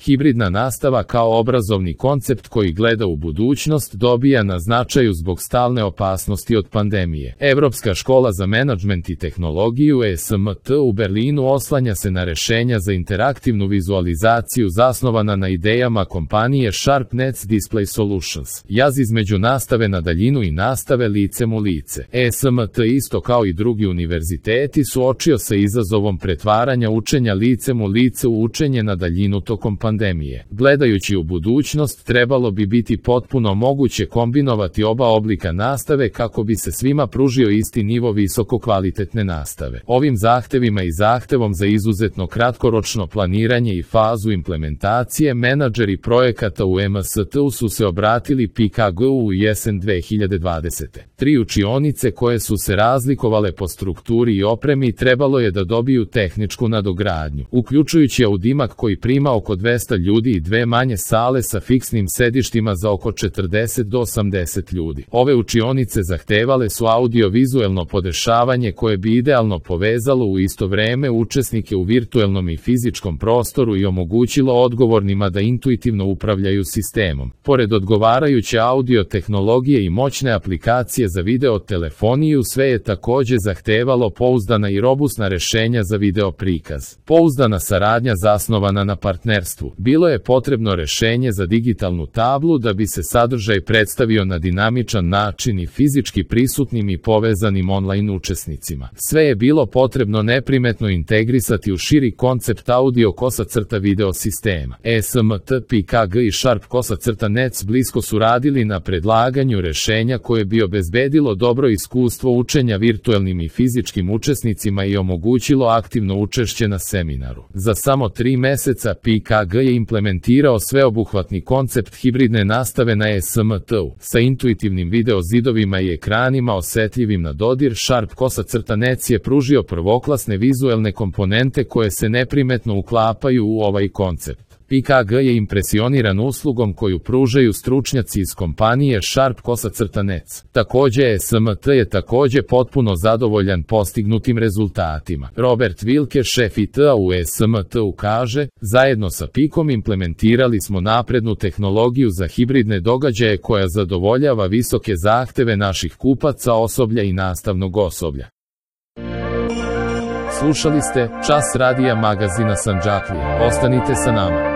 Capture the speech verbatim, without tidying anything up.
Hibridna nastava kao obrazovni koncept koji gleda u budućnost dobija na značaju zbog stalne opasnosti od pandemije. Evropska škola za menadžment i tehnologiju E S M T u Berlinu oslanja se na rešenja za interaktivnu vizualizaciju zasnovana na idejama kompanije SharpNets Display Solutions. Jaz između nastave na daljinu i nastave licem u lice. E S M T isto kao i drugi univerziteti suočio se izazovom pretvaranja učenja licem u lice u učenje na daljinu tokom pandemije. Gledajući u budućnost, trebalo bi biti potpuno moguće kombinovati oba oblika nastave kako bi se svima pružio isti nivo visokokvalitetne nastave. Ovim zahtevima i zahtevom za izuzetno kratkoročno planiranje i fazu implementacije menadžeri projekata u M S T-u su se obratili P K G-u u jesen dve hiljade dvadesete. Tri učionice koje su se razlikovale po strukturi i opremi trebalo je da dobiju tehničku nadogradnju, uključujući audimak koji prima oko dvesta ljudi i dve manje sale sa fiksnim sedištima za oko četrdeset do osamdeset ljudi. Ove učionice zahtevale su audio-vizuelno podešavanje koje bi idealno povezalo u isto vreme učesnike u virtuelnom i fizičkom prostoru i omogućilo odgovornima da intuitivno upravljaju sistemom. Pored odgovarajuće audio tehnologije i moćne aplikacije za video telefoniju, sve je takođe zahtevalo pouzdana i robusna rešenja za video prikaz. Pouzdana saradnja zasnovana na partnerstvu. Bilo je potrebno rešenje za digitalnu tablu da bi se sadržaj predstavio na dinamičan način i fizički prisutnim i povezanim online učesnicima. Sve je bilo potrebno neprimetno integrisati u širi koncept audio kosa crta video sistema. E S M T, P K G i Sharp kosa crta Nets blisko su radili na predlaganju rešenja koje bi obezbedilo dobro iskustvo učenja virtuelnim i fizičkim učesnicima i omogućilo aktivno učešće na seminaru. Za samo tri meseca P K G je implementirao sveobuhvatni koncept hibridne nastave na E S M T-u. Sa intuitivnim video zidovima i ekranima osetljivim na dodir, Sharp kosa crta Nets je pružio prvoklasne vizuelne komponente koje se neprimetno uklapaju u ovaj koncept. P K G je impresioniran uslugom koju pružaju stručnjaci iz kompanije Sharp kosa crta Nets. Takođe E S M T je takođe potpuno zadovoljan postignutim rezultatima. Robert Wilke, šef I T-a u E S M T-u kaže, zajedno sa P I K-om implementirali smo naprednu tehnologiju za hibridne događaje koja zadovoljava visoke zahteve naših kupaca, osoblja i nastavnog osoblja. Slušali ste Čas radija magazina Sandžaklija. Ostanite sa nama.